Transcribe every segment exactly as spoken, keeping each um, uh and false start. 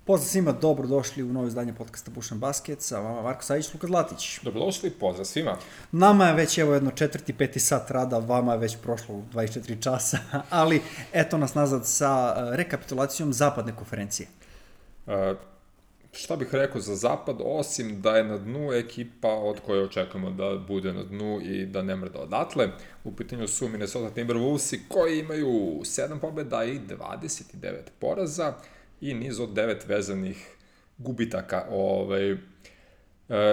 Pozdrav svima, dobrodošli u novo izdanje podcasta Buš and Basket, sa vama Marko Savić, Luka Zlatić. Dobrodošli, pozdrav svima. Nama je već evo jedno četvrti, peti sat rada, vama je već prošlo dvadeset četiri časa, ali eto nas nazad sa rekapitulacijom zapadne konferencije. Uh, šta bih rekao za zapad, osim da je na dnu ekipa od koje očekujemo da bude na dnu i da ne mrda odatle. U pitanju su Minnesota Timberwolvesi koji imaju sedam pobjeda i dvadeset devet poraza i niz od devet vezanih gubitaka. Ovaj, e,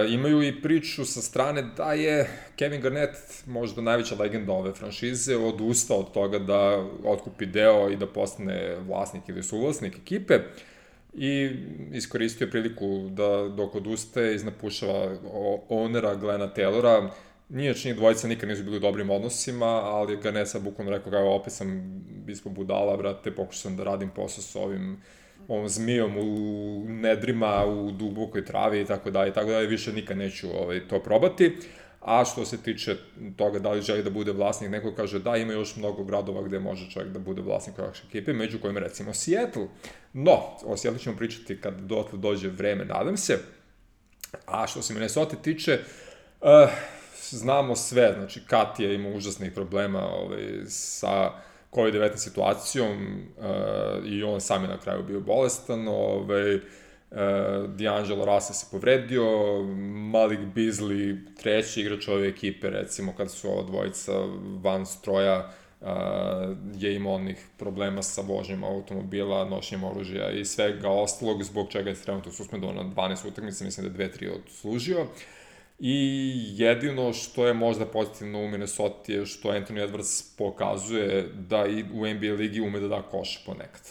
imaju i priču sa strane da je Kevin Garnett, možda najveća legenda ove franšize, odustao od toga da otkupi deo i da postane vlasnik ili suvlasnik ekipe i iskoristio priliku da dok odustaje iznapušava ownera Glena Taylora. Nije čini dvojica nikad nisu bili u dobrim odnosima, ali Garnett sad bukvalno rekao kao opet sam ispod budala, brate, pokušao sam da radim posao s ovim ovom zmijom u nedrima, u dubokoj travi i tako dalje, tako dalje, više nikad neću ovaj, to probati. A što se tiče toga da li želi da bude vlasnik, neko kaže da, ima još mnogo gradova gde može čovjek da bude vlasnik ovakve ekipe, među kojima recimo Seattle. No, o Seattle ćemo pričati kad dotle dođe vreme, nadam se. A što se Minnesota tiče, uh, znamo sve, znači Kat je imao užasnih problema ovaj, sa kovid devetnaest situacijom uh, i on sam je na kraju bio bolestan, ovaj, uh, D'Angelo Russell se povredio, Malik Beasley, treći igrač ove ekipe, recimo kad su ova dvojica van stroja, uh, je imao onih problema sa vožnjom automobila, nošenjem oružja i svega ostalog, zbog čega je trenutno suspendovan na dvanaest utakmica, mislim da je dve tri odslužio. I jedino što je možda pozitivno u Minnesota je što Anthony Edwards pokazuje da i u N B A ligi ume da da koš ponekad.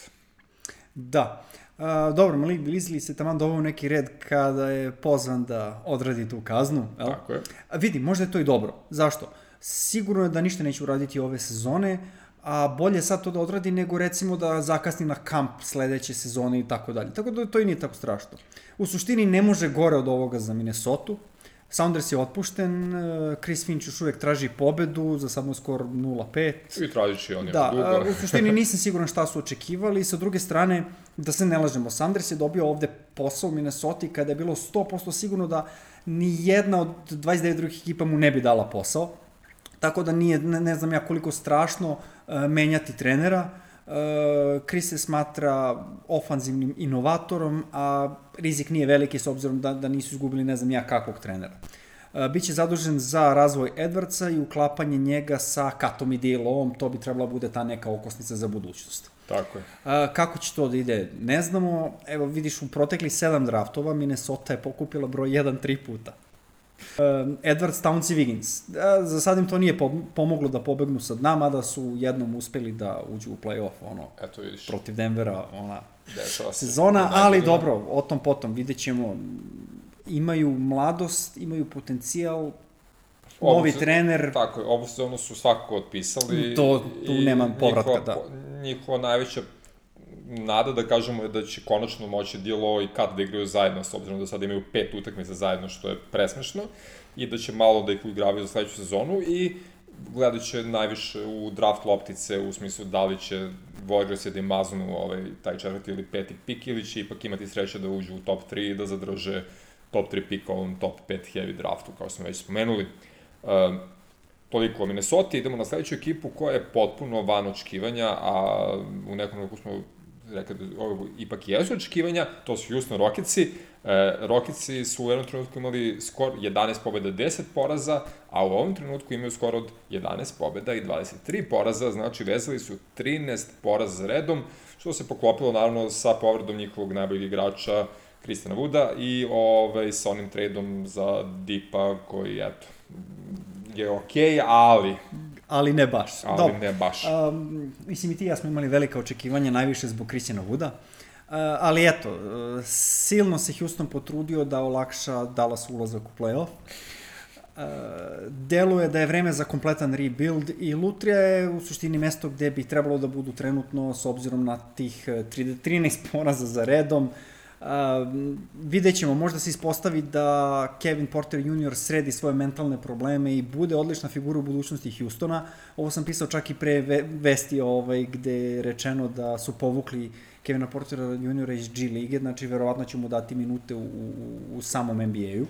Da. A, dobro, Malik Beasley se taman doveo neki red kada je pozvan da odradi tu kaznu. Jel? Tako je. A vidi, možda je to i dobro. Zašto? Sigurno je da ništa neće uraditi ove sezone, a bolje sad to da odradi nego recimo da zakasni na kamp sledeće sezone i tako dalje. Tako da to i nije tako strašno. U suštini ne može gore od ovoga za Minnesota. Saunders je otpušten, Chris Finch još uvijek traži pobedu, za sad mu skor nula pet. I tražit će on je da, dugo. Da, u suštini nisam siguran šta su očekivali. Sa druge strane, da se ne lažemo, Saunders je dobio ovde posao u Minnesota kada je bilo sto posto sigurno da ni jedna od dvadeset devet drugih ekipa mu ne bi dala posao. Tako da nije, ne, ne znam ja koliko strašno uh, menjati trenera. Uh, Chris se smatra ofanzivnim inovatorom, a rizik nije veliki s obzirom da, da nisu izgubili ne znam ja kakvog trenera. Uh, Biće zadužen za razvoj Edwardsa i uklapanje njega sa Katom i Daleom, to bi trebala bude ta neka okosnica za budućnost. Tako je. Uh, kako će to da ide, ne znamo. Evo vidiš, u protekli sedam draftova Minnesota je pokupila broj jedan tri puta. Uh, Edwards, Towns i Wiggins. Uh, za sad im to nije pomoglo da pobegnu sa dna, mada su jednom uspeli da uđu u play-off, ono, Eto, vidiš. Protiv Denvera, ona Dešava se. sezona, ali dobro, o tom potom, vidjet ćemo. Imaju mladost, imaju potencijal, novi se, trener. Tako je, ovu sezonu su svakako otpisali. To, tu nema povratka, njihova, da. Njihova najveća nada, da kažemo, je da će konačno moći Dilo i Kat da igraju zajedno, s obzirom da sad imaju pet utakmica zajedno, što je presmešno, i da će malo da ih uigravaju za sledeću sezonu i gledat će najviše u draft loptice, u smislu da li će Warriors da im maznu ovaj, taj četvrti ili peti pik, ili će ipak imati sreće da uđu u top tri i da zadrže top tri pika u ovom top pet heavy draftu, kao smo već spomenuli. Um, toliko o Minnesota. Idemo na sledeću ekipu koja je potpuno van očekivanja, a u nekom roku smo rekli da ovo ipak jesu očekivanja, to su Houston Rocketsi. E, Rocketsi su u jednom trenutku imali skor jedanaest pobjeda, deset poraza, a u ovom trenutku imaju skor od jedanaest pobjeda i dvadeset tri poraza, znači vezali su trinaest poraza za redom, što se poklopilo naravno sa povredom njihovog najboljeg igrača Christiana Wooda i ovaj, sa onim tradeom za Deepa koji, eto, je okej, okay, ali... Ali ne baš. Ali Dobre. ne baš. Um, mislim i ti ja smo imali velika očekivanja, najviše zbog Christiana Wooda. Uh, ali eto, uh, silno se Houston potrudio da olakša Dallas ulazak u play-off. Uh, deluje da je vreme za kompletan rebuild i Lutrija je u suštini mesto gde bi trebalo da budu trenutno s obzirom na tih trinaest poraza za redom. Uh, vidjet ćemo, možda se ispostavi da Kevin Porter junior sredi svoje mentalne probleme i bude odlična figura u budućnosti Houstona. Ovo sam pisao čak i pre ve vesti ovaj, gde je rečeno da su povukli Kevina Portera juniora iz G lige, znači verovatno će mu dati minute u, u, u samom N B A-u.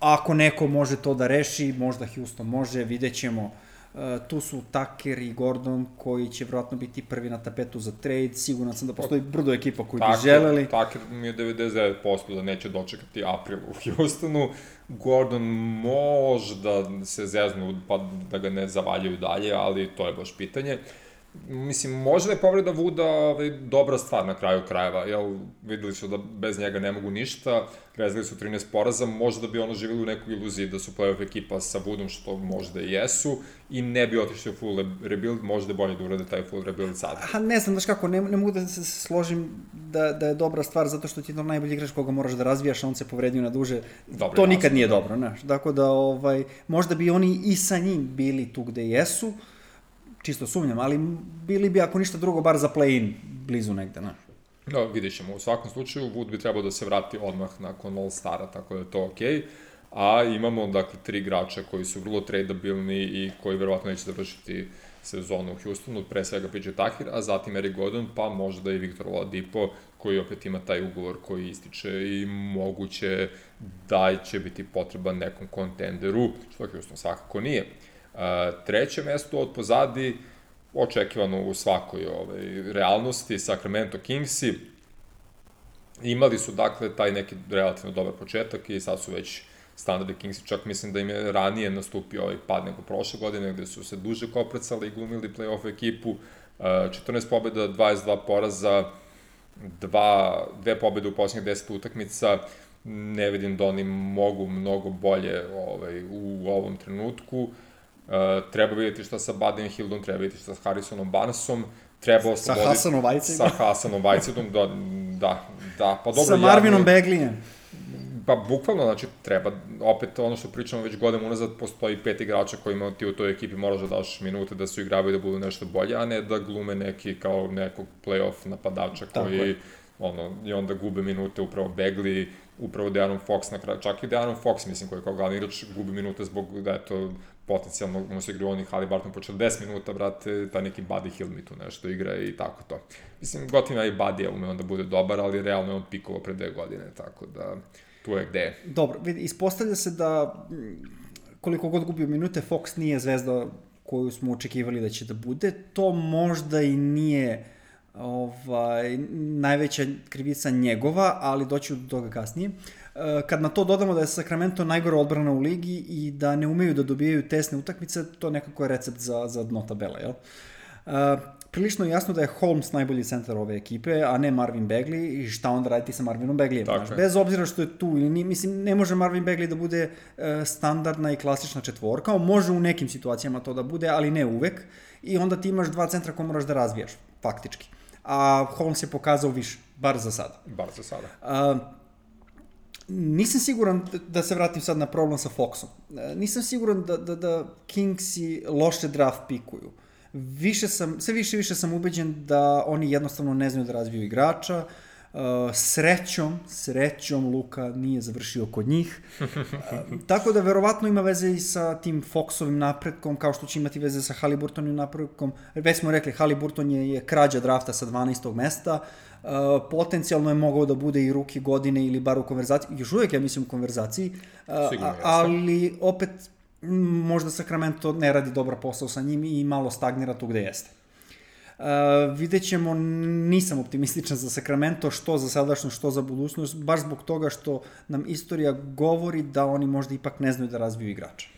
Ako neko može to da reši, možda Houston može, vidjet ćemo. Uh, tu su Tucker i Gordon koji će vjerojatno biti prvi na tapetu za trade. Siguran sam da postoji brdo ekipa koji bi želeli. Tucker mi je devedeset devet posto da neće dočekati april u Houstonu. Gordon možda se zeznu pa da ga ne zavaljaju dalje, ali to je baš pitanje. Mislim, možda je povreda Wooda ovaj, dobra stvar na kraju krajeva, jel, videli su da bez njega ne mogu ništa, rezali su trinaest poraza, možda bi ono živjeli u nekoj iluziji da su playoff ekipa sa Woodom, što možda i jesu, i ne bi otišli u full rebuild, možda je bolje da urade taj full rebuild sada. Ha, ne znam, znaš kako, ne, ne mogu da se složim da, da je dobra stvar, zato što ti je to najbolji igrač koga moraš da razvijaš, a on se povredio na duže, Dobre, to nikad nije dobro, znaš, tako da, ovaj, možda bi oni i sa njim bili tu gde jesu, čisto sumnjam, ali bili bi, ako ništa drugo, bar za play-in blizu negde, ne? No, vidjet ćemo. U svakom slučaju, Wood bi trebao da se vrati odmah nakon All-Stara, tako da je to okej. Okay. A imamo, dakle, tri igrača koji su vrlo tradeabilni i koji verovatno neće završiti sezonu u Houstonu, pre svega P J Tucker, a zatim Eric Gordon, pa možda i Victor Oladipo, koji opet ima taj ugovor koji ističe i moguće da će biti potreban nekom kontenderu, što Houston svakako nije. Uh, treće mesto od pozadi, očekivano u svakoj ovaj, realnosti, Sacramento Kingsi. Imali su, dakle, taj neki relativno dobar početak i sad su već standardi Kingsi, čak mislim da im je ranije nastupio ovaj pad nego prošle godine, gde su se duže koprcali i glumili play-off ekipu. Uh, četrnaest pobjeda, dvadeset dva poraza, dva, dve pobjede u posljednjih deset utakmica. Ne vidim da oni mogu mnogo bolje ovaj, u ovom trenutku. Uh, treba vidjeti šta sa Buddy Hieldom, treba vidjeti šta sa Harrisonom Barnesom, treba osloboditi... Sa Hasanom Vajcidom. Sa Hasanom Vajcidom, da, da, da, pa dobro... Sa Marvinom ja, Beglijem. Pa bukvalno, znači, treba, opet ono što pričamo već godinama unazad, postoji pet igrača kojima ti u toj ekipi moraš da daš minute da su igravaju da budu nešto bolje, a ne da glume neki kao nekog play-off napadača koji, ono, i onda gube minute upravo Begli, upravo De'Aaron Fox na kraju, čak i De'Aaron Fox, mislim, koji je kao glavni igrač gubi minute zbog da je to potencijalno, ono se igra oni Haliburton po četrdeset minuta, brate, taj neki Buddy Hield mi tu nešto igra i tako to. Mislim, gotovo i Buddy ume onda bude dobar, ali realno je on pikovao pre dve godine, tako da tu je gde je. Dobro, vidi, ispostavlja se da koliko god gubio minute, Fox nije zvezda koju smo očekivali da će da bude. To možda i nije ovaj, najveća krivica njegova, ali doći do toga kasnije. Kad na to dodamo da je Sacramento najgora odbrana u ligi i da ne umeju da dobijaju tesne utakmice, to nekako je recept za, za dno tabela, jel? Uh, prilično je jasno da je Holmes najbolji centar ove ekipe, a ne Marvin Bagley, i šta onda raditi sa Marvinom Bagleyem. Znaš, bez obzira što je tu, ili mislim, ne može Marvin Bagley da bude uh, standardna i klasična četvorka, on može u nekim situacijama to da bude, ali ne uvek, i onda ti imaš dva centra koje moraš da razvijaš, faktički. A Holmes je pokazao više, bar za sada. Bar za sada. Uh, Nisam siguran da se vratim sad na problem sa Foxom. Nisam siguran da, da, da Kingsi loše draft pikuju. Više sam, sve više i više sam ubeđen da oni jednostavno ne znaju da razviju igrača. Uh, srećom, srećom Luka nije završio kod njih. Uh, tako da verovatno ima veze i sa tim Foxovim napretkom, kao što će imati veze sa Haliburtonim napretkom. Već smo rekli, Haliburton je, je krađa drafta sa dvanaestog mesta. Uh, potencijalno je mogao da bude i ruki godine ili bar u konverzaciji, još uvijek ja mislim u konverzaciji, uh, ali opet možda Sacramento ne radi dobar posao sa njim i malo stagnira tu gde jeste. Uh, vidjet ćemo, nisam optimističan za Sacramento, što za sadašnjost, što za budućnost, baš zbog toga što nam istorija govori da oni možda ipak ne znaju da razviju igrača.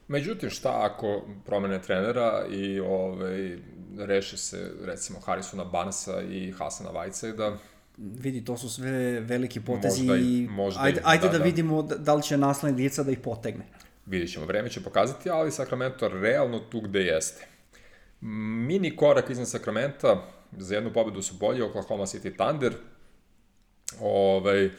Međutim, šta ako promene trenera i ovaj, reše se, recimo, Harrisona Barnesa i Hasana Whitesida? Vidi, to su sve veliki potezi možda i, i možda ajde, i, ajde da, da, da vidimo da li će naslednik djeca da ih potegne. Vidjet ćemo, vreme će pokazati, ali Sacramento realno tu gde jeste. Mini korak iznad Sacramenta, za jednu pobedu su bolji, Oklahoma City Thunder. Ovaj,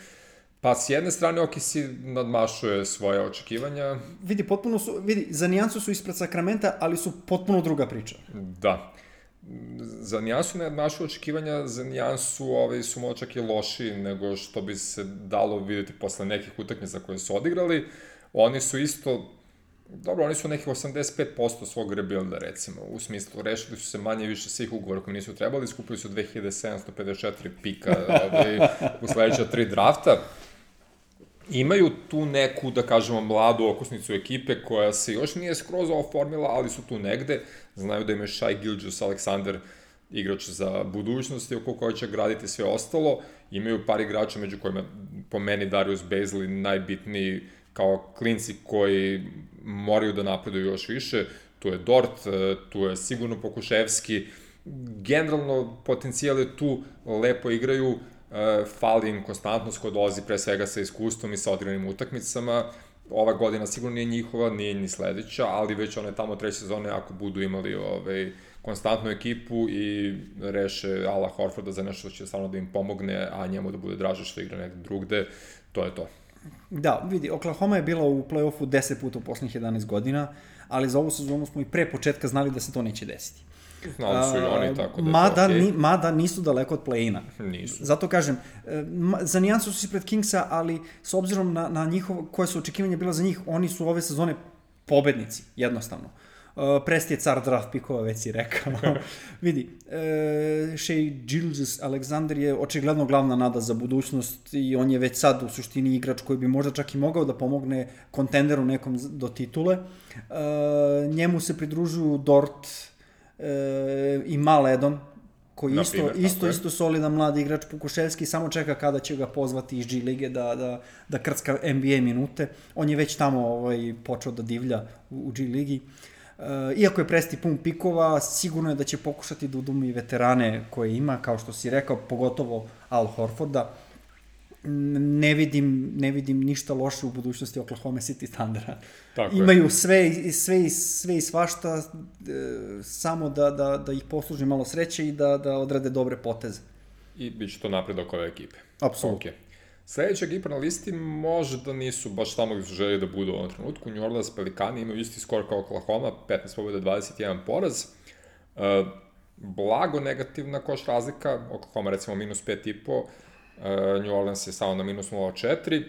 pa s jedne strane O K C nadmašuje svoje očekivanja. Vidi, potpuno su, vidi, za nijansu su ispred Sacramenta, ali su potpuno druga priča. Da. za nijansu ne naše očekivanja, za nijansu ovaj, su malo čak i loši nego što bi se dalo vidjeti posle nekih utakmica koje su odigrali. Oni su isto, dobro, oni su nekih osamdeset pet posto svog rebuilda, recimo, u smislu, rešili su se manje više svih ugovora koji nisu trebali, skupili su dve hiljade sedamsto pedeset četiri pika ovaj, u sledeća tri drafta. Imaju tu neku, da kažemo, mladu okosnicu ekipe koja se još nije skroz oformila, ali su tu negde. Znaju da im je Shai Gilgeous-Alexander igrač za budućnost i oko koja će graditi sve ostalo. Imaju par igrača među kojima, po meni, Darius Bazley najbitniji kao klinci koji moraju da napreduju još više. Tu je Dort, tu je sigurno Pokuševski. Generalno, potencijal je tu, lepo igraju. Uh, fali im konstantnost koja dolazi pre svega sa iskustvom i sa odigranim utakmicama. Ova godina sigurno nije njihova, nije ni sledeća, ali već one tamo treće sezone ako budu imali ovaj, konstantnu ekipu i reše Ala Horforda za nešto što će stvarno da im pomogne, a njemu da bude draže što igra nekde drugde, to je to. Da, vidi, Oklahoma je bila u play-offu deset puta u poslednjih jedanaest godina, ali za ovu sezonu smo i pre početka znali da se to neće desiti. Znali su i oni, tako da mada, je to okej. Ni, mada nisu daleko od play-ina. Nisu. Zato kažem, za nijansu su ispred Kingsa, ali s obzirom na, na njihovo, koje su očekivanja bila za njih, oni su ove sezone pobednici, jednostavno. Uh, Presti je car draft pikova, već si rekao. Vidi, uh, Shai Gilgeous-Alexander je očigledno glavna nada za budućnost i on je već sad u suštini igrač koji bi možda čak i mogao da pomogne kontenderu nekom do titule. Uh, njemu se pridružuju Dort e, i Maledon, koji isto, primjer, isto, isto solidan mladi igrač. Pukuševski samo čeka kada će ga pozvati iz G lige da, da, da krcka N B A minute. On je već tamo ovaj, počeo da divlja u, u G ligi. E, iako je Presti pun pikova, sigurno je da će pokušati da udumi veterane koje ima, kao što si rekao, pogotovo Al Horforda. Ne vidim, ne vidim ništa loše u budućnosti Oklahoma City Thundera. Tako Imaju je. sve, i, sve, i, sve i svašta, e, samo da, da, da ih posluži malo sreće i da, da odrade dobre poteze. I bit će to napredak ove ekipe. Apsolutno. Okay. Sledeća ekipa na listi možda nisu baš tamo gde su želi da budu u ovom trenutku. New Orleans Pelicani imaju isti skor kao Oklahoma, petnaest pobjeda, dvadeset jedan poraz. Uh, blago negativna koš razlika, Oklahoma recimo minus pet i po, Uh, New Orleans je samo na minus nula četiri.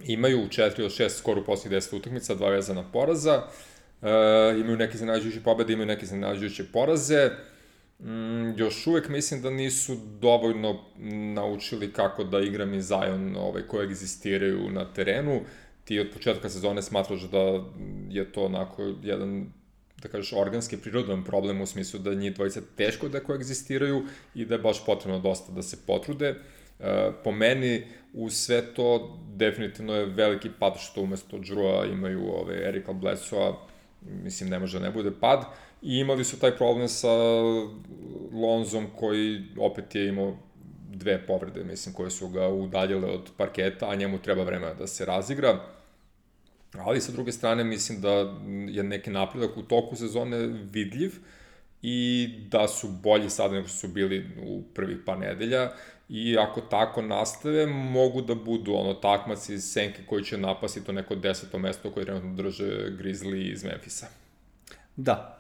Imaju četiri od šest skor u posljednjih deset utakmica, dva vezana poraza. Uh, imaju neke iznenađujuće pobede, imaju neke iznenađujuće poraze. Mm, još uvek mislim da nisu dovoljno naučili kako da Ingram i Zion ovaj, koji egzistiraju na terenu. Ti od početka sezone smatraš da je to onako jedan, da kažeš, organski prirodan problem u smislu da njih dvojica teško da koegzistiraju i da je baš potrebno dosta da se potrude. E, po meni, u sve to, definitivno je veliki pad što umesto Drewa imaju ove, Erika Bledsoe-a, mislim, ne može da ne bude pad. I imali su taj problem sa Lonzom koji opet je imao dve povrede, mislim, koje su ga udaljile od parketa, a njemu treba vremena da se razigra. Ali sa druge strane mislim da je neki napredak u toku sezone vidljiv i da su bolji sada nego što su bili u prvih par nedelja i ako tako nastave mogu da budu ono takmaci iz senke koji će napasti to neko deseto mesto koje trenutno drže Grizzly iz Memphisa. Da.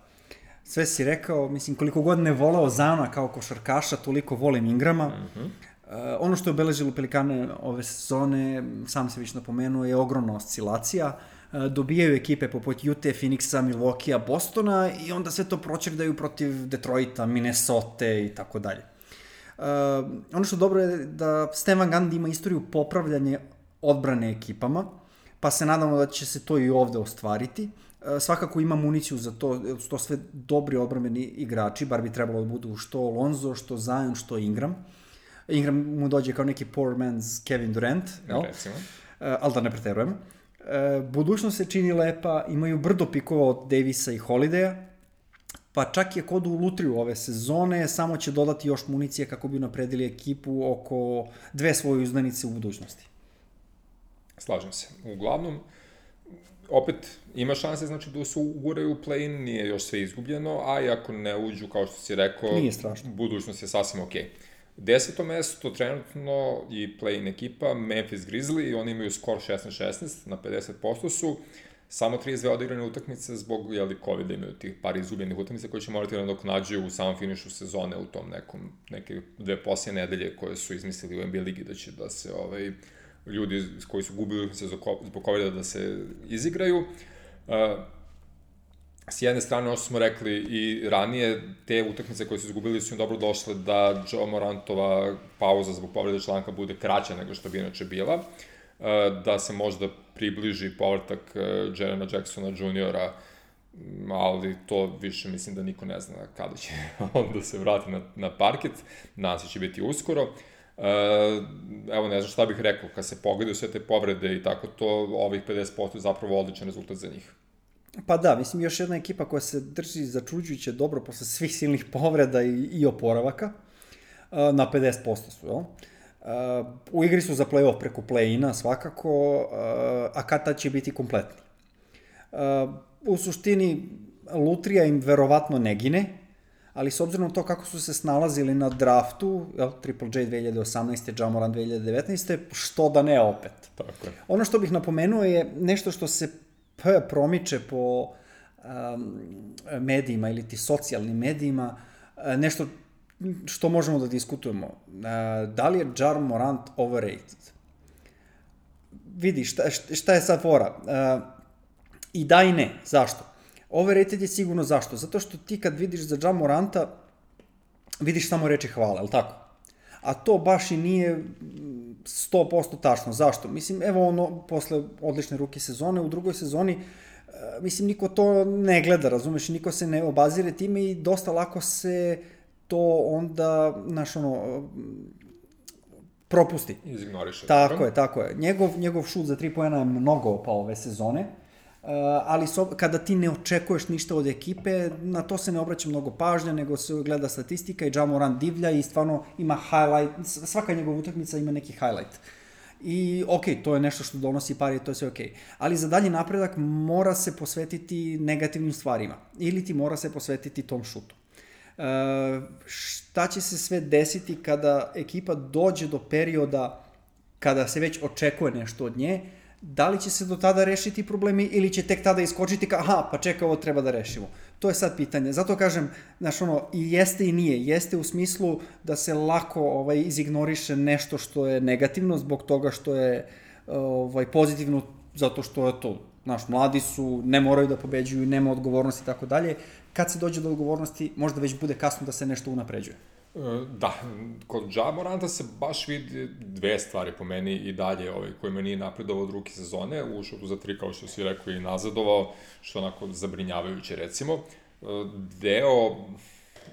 Sve si rekao, mislim, koliko god ne voleo Ziona kao košarkaša, toliko volim Ingrama. Mhm. Uh, ono što je obeležilo Pelikane ove sezone, sam se više napomenuo, je ogromna oscilacija. Uh, dobijaju ekipe poput Ute, Phoenixa, Milwaukee-a, Bostona i onda sve to proćerdaju protiv Detroita, Minnesota i tako dalje. Ono što dobro je da Stan Van Gundy ima istoriju popravljanja odbrane ekipama, pa se nadamo da će se to i ovde ostvariti. Uh, svakako ima municiju za to, to sve dobri odbrambeni igrači, bar bi trebalo da budu što Lonzo, što Zion, što Ingram. Ingram mu dođe kao neki poor man's Kevin Durant, jel? Recimo. Uh, ali da ne preterujem. Uh, budućnost se čini lepa, imaju brdo pikova od Davisa i Holidaya, pa čak i ako odu u lutriju ove sezone, samo će dodati još municije kako bi napredili ekipu oko dve svoje uzdanice u budućnosti. Slažem se. Uglavnom, opet ima šanse, znači da se uguraju u play-in, nije još sve izgubljeno, a i ako ne uđu, kao što si rekao, budućnost je sasvim okej. Deseto mesto trenutno i play-in ekipa Memphis Grizzly, oni imaju skor šesnaest šesnaest, na pedeset posto su. samo trideset dve odigrane utakmice zbog, jeli, COVID-a imaju tih par izgubljenih utakmica koje će morati da nadoknađuju u samom finišu sezone u tom nekom, neke dve posljednje nedelje koje su izmislili u N B A ligi da će da se ovaj, ljudi koji su gubili utakmice zbog COVID-a da se izigraju. Uh, s jedne strane, ono što smo rekli i ranije, te utakmice koje su izgubili su im dobro došle da Ja Morantova pauza zbog povrede članka bude kraća nego što bi inače bila, da se možda približi povratak Jarena Jacksona juniora, ali to više mislim da niko ne zna kada će on da se vrati na, na parket, nadam se će biti uskoro. Evo, ne znam šta bih rekao, kad se pogledaju sve te povrede i tako to, ovih pedeset posto je zapravo odličan rezultat za njih. Pa da, mislim, još jedna ekipa koja se drži začuđujuće dobro posle svih silnih povreda i, i oporavaka, na pedeset posto su, jel? U igri su za play-off preko play-ina svakako, a kad tad će biti kompletni. U suštini, lutrija im verovatno ne gine, ali s obzirom na to kako su se snalazili na draftu, jel, Triple J dve hiljade osamnaeste. Ja Morant dve hiljade devetnaeste. Što da ne opet. Tako je. Ono što bih napomenuo je nešto što se promiče po um, medijima ili ti socijalnim medijima, nešto što možemo da diskutujemo. Uh, da li je Ja Morant overrated? Vidi, šta, šta je sad fora? Uh, I da i ne. Zašto? Overrated je sigurno zašto? Zato što ti kad vidiš za Ja Moranta, vidiš samo reči hvala, je li tako? A to baš i nije sto posto tačno. Zašto? Mislim, evo ono, posle odlične ruke sezone, u drugoj sezoni, mislim, niko to ne gleda, razumeš, niko se ne obazire time i dosta lako se to onda, znaš, ono, propusti. Izignoriše. Tako je, tako je. Njegov, njegov šut za tri poena je mnogo opao ove sezone, Uh, ali so, kada ti ne očekuješ ništa od ekipe, na to se ne obraća mnogo pažnja, nego se gleda statistika i Ja Morant divlja i stvarno ima highlight, svaka njegova utakmica ima neki highlight. I ok, to je nešto što donosi pari, to je sve ok. Ali za dalji napredak mora se posvetiti negativnim stvarima ili ti mora se posvetiti tom šutu. Uh, šta će se sve desiti kada ekipa dođe do perioda kada se već očekuje nešto od nje? Da li će se do tada rešiti problemi ili će tek tada iskočiti kao, aha, pa čekaj, ovo treba da rešimo. To je sad pitanje. Zato kažem, znaš, ono, i jeste i nije. Jeste u smislu da se lako ovaj, izignoriše nešto što je negativno zbog toga što je ovaj, pozitivno, zato što je to, znaš, mladi su, ne moraju da pobeđuju, nema odgovornosti i tako dalje. Kad se dođe do odgovornosti, možda već bude kasno da se nešto unapređuje. Da, kod Ja Moranta se baš vidi dve stvari po meni i dalje, ovaj, kojima nije napredovao od ruke sezone, u šutu za tri, kao što si rekao, i nazadovao, što onako zabrinjavajuće, recimo. Deo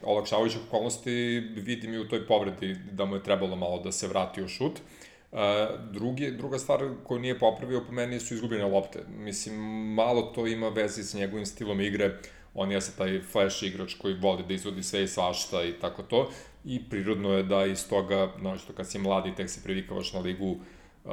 olakšavajućih okolnosti vidim i u toj povredi da mu je trebalo malo da se vrati u šut. Drugi, druga stvar koju nije popravio po meni su izgubljene lopte. Mislim, malo to ima veze s njegovim stilom igre. On je sad taj flash igrač koji voli da izvodi sve i svašta i tako to. I prirodno je da iz toga, znači kad si mladi, tek se privikavaš na ligu, uh,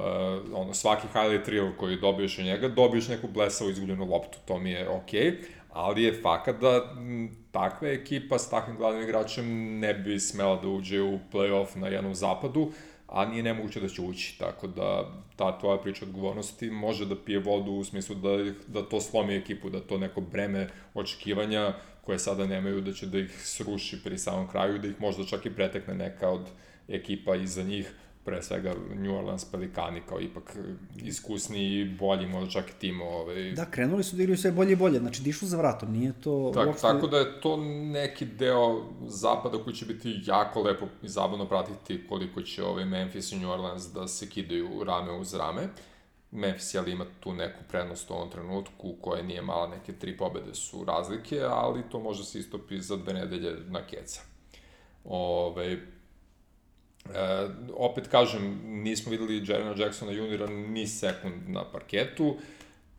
ono, svaki highlight reel koji dobiješ od njega, dobiješ neku blesavu izgubljenu loptu, to mi je okej, okay, ali je fakat da m, takva ekipa s takvim glavnim igračem ne bi smela da uđe u play-off na jednom zapadu, a nije nemoguće da će ući, tako da ta tvoja priča odgovornosti može da pije vodu u smislu da, da to slomi ekipu, da to neko breme očekivanja koje sada nemaju, da će da ih sruši pri samom kraju, da ih možda čak i pretekne neka od ekipa iza njih, pre svega New Orleans Pelicani kao ipak iskusni i bolji, možda čak i tim. Ovaj... Da, krenuli su da igraju sve bolje i bolje, znači dišu za vratom, nije to... Tak, uopšte... Tako da je to neki deo zapada koji će biti jako lepo i zabavno pratiti koliko će ovaj Memphis i New Orleans da se kidaju rame uz rame. Memphis ali ima tu neku prednost u ovom trenutku koja nije mala, neke tri pobede su razlike, ali to može se istopi za dve nedelje na keca. Ove, e, opet kažem, nismo videli Jarena Jacksona juniora ni sekund na parketu,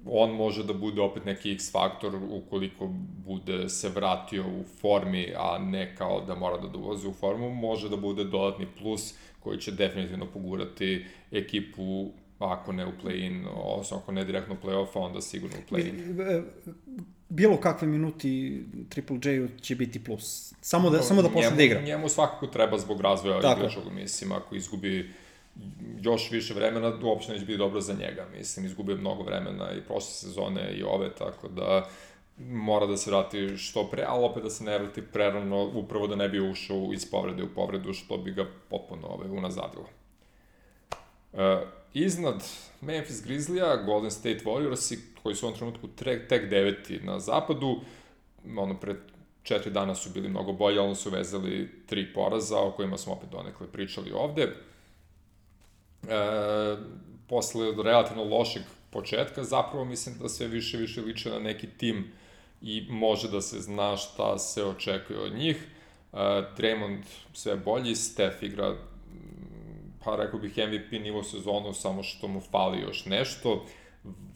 on može da bude opet neki X-faktor ukoliko bude se vratio u formi, a ne kao da mora da dolazi u formu, može da bude dodatni plus koji će definitivno pogurati ekipu, ako ne u play-in, odnosno ako ne direktno u play-off, onda sigurno u play-in. Bilo kakve minuti Triple J-u će biti plus. Samo da, no, samo da počne da igra. Njemu svakako treba zbog razvoja igrača, mislim, ako izgubi još više vremena, uopšte neće biti dobro za njega. Mislim, izgubio mnogo vremena i prošle sezone i ove, tako da mora da se vrati što pre, ali opet da se ne vrati prerano, upravo da ne bi ušao iz povrede u povredu, što bi ga potpuno ove, unazadilo. E, iznad Memphis Grizzlija, Golden State Warriorsi, koji su u ovom trenutku tek, tek deveti na zapadu, ono, pred četiri dana su bili mnogo bolji, ali su vezali tri poraza, o kojima smo opet donekle pričali ovde. E, posle relativno lošeg početka, zapravo mislim da sve više više liče na neki tim i može da se zna šta se očekuje od njih. E, Draymond sve bolji, Steph igra, pa rekao bih M V P nivo sezonu, samo što mu fali još nešto.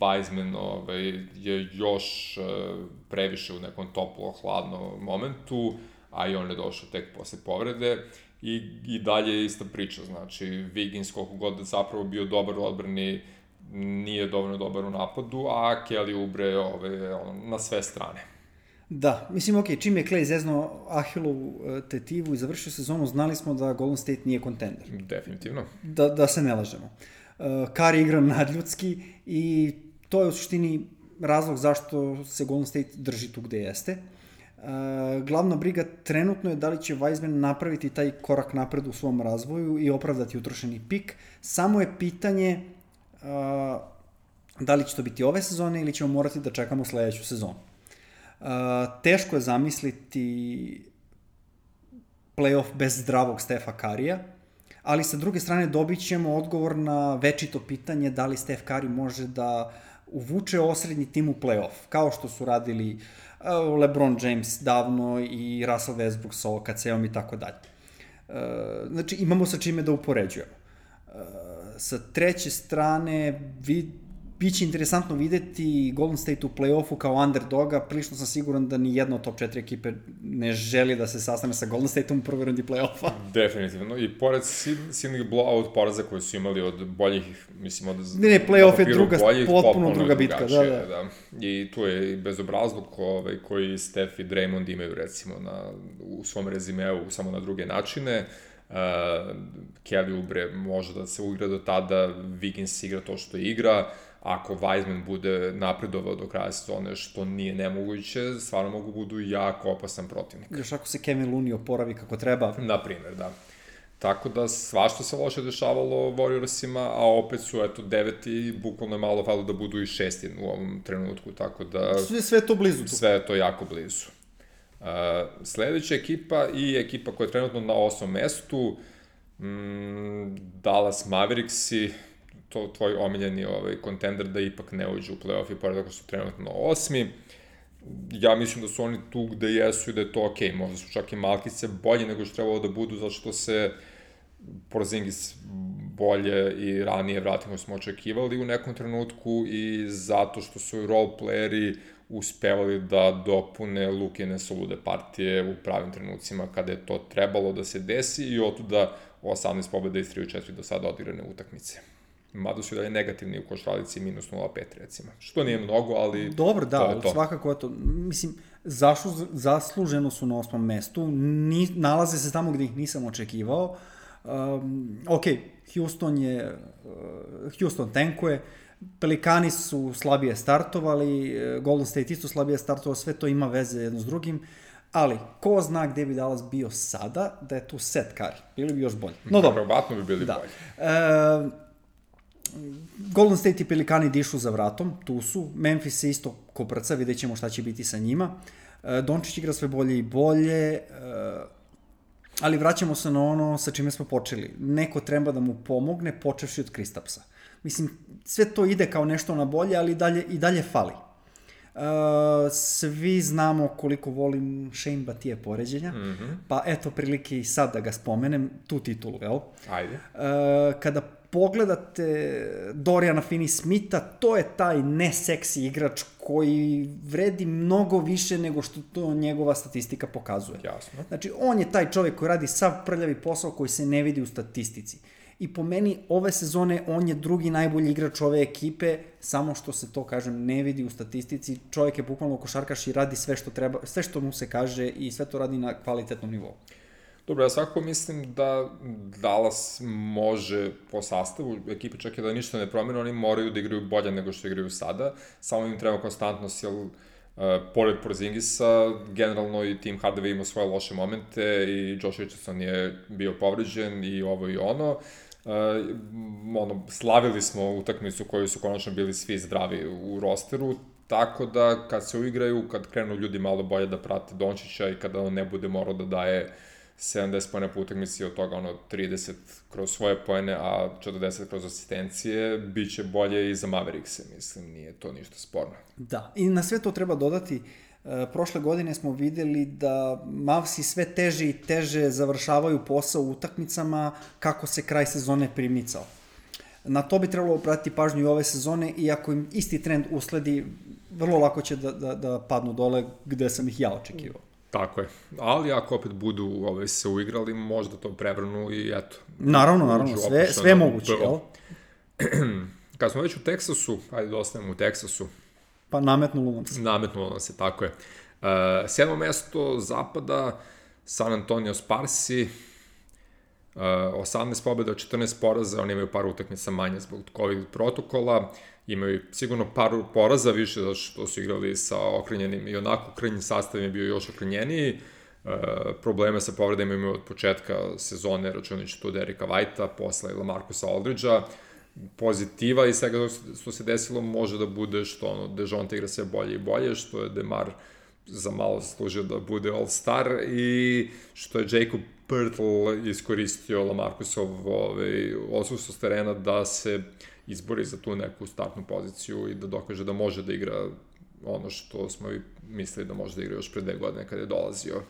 Weizman ovaj, je još uh, previše u nekom toplo-hladnom momentu, a i on je došao tek posle povrede i, i dalje je ista priča, znači Wiggins koliko god zapravo bio dobar u odbrani, nije dovoljno dobar u napadu, a Kelly Oubre ovaj, on, na sve strane. Da, mislim, ok, čim je Klay zezno Ahilovu tetivu i završio sezonu, znali smo da Golden State nije kontender. Definitivno. Da, da se ne lažemo. Uh, Curry igra nadljudski i to je u suštini razlog zašto se Golden State drži tu gde jeste. Uh, glavna briga trenutno je da li će Weizman napraviti taj korak napred u svom razvoju i opravdati utrošeni pik. Samo je pitanje uh, da li će to biti ove sezone ili ćemo morati da čekamo sledeću sezonu. Uh, teško je zamisliti playoff bez zdravog Stefa Currya, ali sa druge strane dobit ćemo odgovor na večito pitanje da li Steph Curry može da uvuče osrednji tim u playoff, kao što su radili uh, LeBron James davno i Russell Westbrook sa O K C-om i tako dalje. Uh, znači, imamo sa čime da upoređujemo. Uh, sa treće strane, vid, bit će interesantno videti Golden State u play-offu kao underdoga, prilično sam siguran da ni jedna od top četiri ekipe ne želi da se sastane sa Golden Stateom u prvoj rundi play-offa. Definitivno, i pored silnih blowout poraza koje su imali od boljih, mislim, od... Ne, ne, play-off je druga, boljih, potpuno druga bitka, da, da. da. I tu je bezobrazluk ovaj, koji Steph i Draymond imaju, recimo, na, u svom rezimeu, samo na druge načine. Uh, Kelly Oubre može da se igra do tada, Wiggins igra to što igra, ako Weizman bude napredovao do kraja sezone, što nije nemoguće, stvarno mogu budu jako opasan protivnik. Još ako se Kevin Looney oporavi kako treba. Na primjer, da. Tako da svašta se loše dešavalo Warriorsima, a opet su, eto, deveti i bukvalno je malo falo da budu i šesti u ovom trenutku, tako da... Sve, sve je to blizu. Tu. Sve je to jako blizu. Uh, sledeća ekipa i ekipa koja je trenutno na osmom mestu, mm, Dallas Mavericksi, to tvoj omiljeni ovaj, kontender da ipak ne uđu u play-off i pored ako su trenutno osmi. Ja mislim da su oni tu gde jesu i da je to okej. Okay. Možda su čak i malkice bolje nego što trebalo da budu, zato što se Porzingis bolje i ranije vratimo nego smo očekivali u nekom trenutku i zato što su role playeri uspevali da dopune Lukine solude partije u pravim trenucima kada je to trebalo da se desi i otuda osamnaest pobjeda i tri od četiri do sada odigrane utakmice. Mada su i dalje negativni u košaralici minus nula zarez pet recimo. Što nije mnogo, ali dobro, da, to je to. Svakako je to. Mislim, zašlu, zasluženo su na osmom mestu, ni, nalaze se tamo gde ih nisam očekivao. Um, ok, Houston je, uh, Houston tankuje, Pelikani su slabije startovali, Golden State isto slabije startovao, sve to ima veze jedno s drugim, ali ko zna gde bi Dallas bio sada, da je tu Seth Curry, bili bi još bolji. No dobro. Verovatno bi bili da. bolji. E, Golden State i Pelikani dišu za vratom, tu su, Memphis je isto ko prca, vidjet ćemo šta će biti sa njima. E, Dončić igra sve bolje i bolje, e, ali vraćamo se na ono sa čime smo počeli. Neko treba da mu pomogne, počevši od Kristapsa. Mislim, sve to ide kao nešto na bolje, ali dalje, i dalje fali. Uh, svi znamo koliko volim Shane Batije poređenja, mm-hmm. pa eto prilike i sad da ga spomenem, tu titulu, jel? Ajde. Uh, kada pogledate Doriana Finney-Smitha, to je taj neseksi igrač koji vredi mnogo više nego što to njegova statistika pokazuje. Jasno. Znači, on je taj čovjek koji radi sav prljavi posao koji se ne vidi u statistici. I po meni ove sezone on je drugi najbolji igrač ove ekipe, samo što se to, kažem, ne vidi u statistici. Čovjek je bukvalno košarkaš i radi sve što treba, sve što mu se kaže i sve to radi na kvalitetnom nivou. Dobro, ja svakako mislim da Dallas može po sastavu, ekipe čak i da ništa ne promene, oni moraju da igraju bolje nego što igraju sada, samo im treba konstantnost, jer uh, pored Porzingisa, generalno i Tim Hardaway ima svoje loše momente i Josh Richardson je bio povređen i ovo i ono. Uh, ono, slavili smo utakmicu koju su konačno bili svi zdravi u rosteru, tako da kad se uigraju, kad krenu ljudi malo bolje da prate Dončića i kada on ne bude morao da daje sedamdeset poena po utakmici, od toga ono trideset kroz svoje poene, a četrdeset kroz asistencije, bit će bolje i za Maverickse, mislim, nije to ništa sporno. Da, i na sve to treba dodati, e, prošle godine smo videli da Mavsi sve teže i teže završavaju posao u utakmicama kako se kraj sezone primicao. Na to bi trebalo pratiti pažnju i ove sezone i ako im isti trend usledi, vrlo lako će da, da, da padnu dole gde sam ih ja očekivao. Tako je, ali ako opet budu ove, se uigrali, možda to prevrnu i eto. Naravno, naravno, sve, sve moguće, jel? Kad smo već u Teksasu, ajde da ostavimo u Teksasu. Pa nametnulo nam se. Nametnulo nam se, tako je. Uh, sedmo mesto zapada, San Antonio Sparsi, uh, osamnaest pobjeda od četrnaest poraza, oni imaju par utakmica manje zbog COVID protokola, imaju sigurno par poraza više zato što su igrali sa okrenjenim i onako okrenjen sastav je bio još okrenjeniji. Uh, probleme sa povredama imaju od početka sezone, računajući tu Derika Whitea, posle Lamarcusa Aldridgea. Pozitiva i svega što se desilo može da bude što ono, DeJounte igra sve bolje i bolje, što je DeMar za malo zaslužio da bude All-Star i što je Jacob Poeltl iskoristio Lamarcusov ovaj, odsustvo s terena da se izbori za tu neku startnu poziciju i da dokaže da može da igra ono što smo i mislili da može da igra još pre dve godine kada je dolazio